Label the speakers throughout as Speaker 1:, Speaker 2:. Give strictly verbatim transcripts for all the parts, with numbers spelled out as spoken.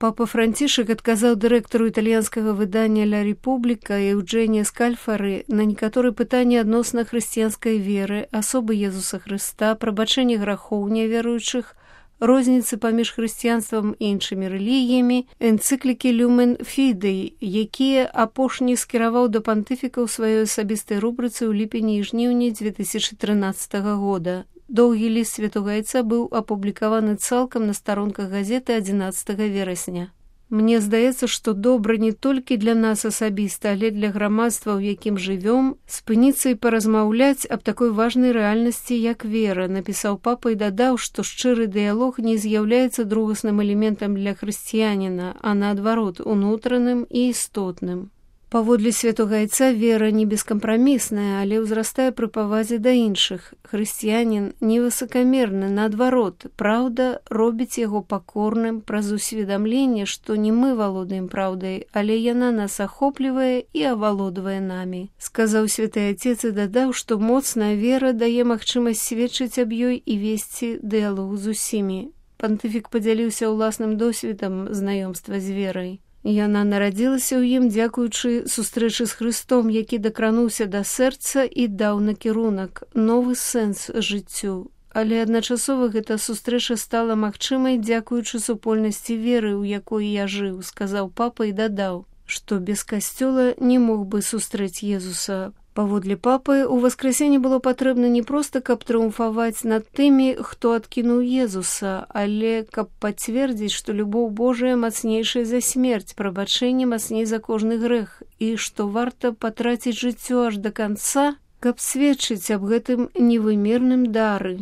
Speaker 1: Папа Францішак адказаў дырэктару італьянскага выдання «Ля Републіка» Еўджэнія Скальфары на некаторыя пытанні адносна хрысціянскай веры, асобы Езуса Хрыста, прабачэння грахоў няверуючых, розніцы паміж хрысціянствам і іншымі рэлігіямі, энцыклікі «Люмен Фідей», якія апошні скіраваў да пантыфіка ў сваёй асабістай рубрыцы ў ліпені і жніўні дзве тысячы трынаццатага года. Доўгі ліст святога айца быў апублікаваны цалкам на старонках газеты адзінаццатага верасня. Мне здаецца, што добра не толькі для нас асабіста, але для грамадства, у якім жывём, спыніцца і паразмаўляць аб такой важнай рэальнасці, як вера, напісаў папа і дадаў, што шчыры дыялог не з'яўляецца другасным элементам для хрысціяніна, а наадварот, унутраным і істотным. Паводле святога айца вера не бескампрамісная, але ўзрастае пры павазе да іншых. Хрысціянін не высакамерны, наадварот, праўда робіць яго пакорным праз усведамленне, што не мы валодаем праўдай, але яна нас ахоплівае і авалодвае намі. Сказаў святы айцец і дадаў, што моцная вера дае магчымасць сведчыць аб ёй і весці дыялог з усімі. Пантыфік падзяліўся ўласным досведам знаёмства з верай. Яна нарадзілася ў ім дзякуючы сустрэчы з Хрыстом, які дакрануўся да сэрца і даў накірунак, новы сэнс жыццю. Але адначасова гэта сустрэча стала магчымай дзякуючы супольнасці веры, у якой я жыў, сказаў папа і дадаў, што без касцёла не мог бы сустрэць Езуса. Паводле папы, у васкрасенне было патрэбна не проста, каб трыумфаваць над тымі, хто адкінуў Езуса, але каб пацвердзіць, што любоў Божая мацнейшая за смерць, прабачэнне мацней за кожны грэх, і што варта патраціць жыццё аж да канца, каб сведчыць аб гэтым невымерным дары.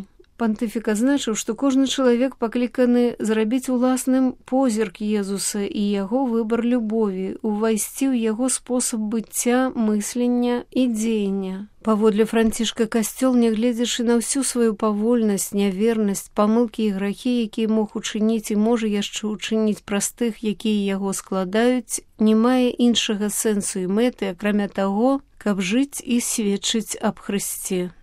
Speaker 1: Пантыфік азначыў, што кожны чалавек пакліканы зрабіць уласным позірк Езуса і яго выбар любові, увайсці ў яго спосаб быцця, мыслення і дзеяння. Паводле Францішка касцёл, нягледзячы на ўсю сваю павольнасць, нявернасць, памылкі і грахі, якія мог учыніць і можа яшчэ учыніць праз тых, якія яго складаюць, не мае іншага сэнсу і мэты, акрамя таго, каб жыць і сведчыць аб Хрысце.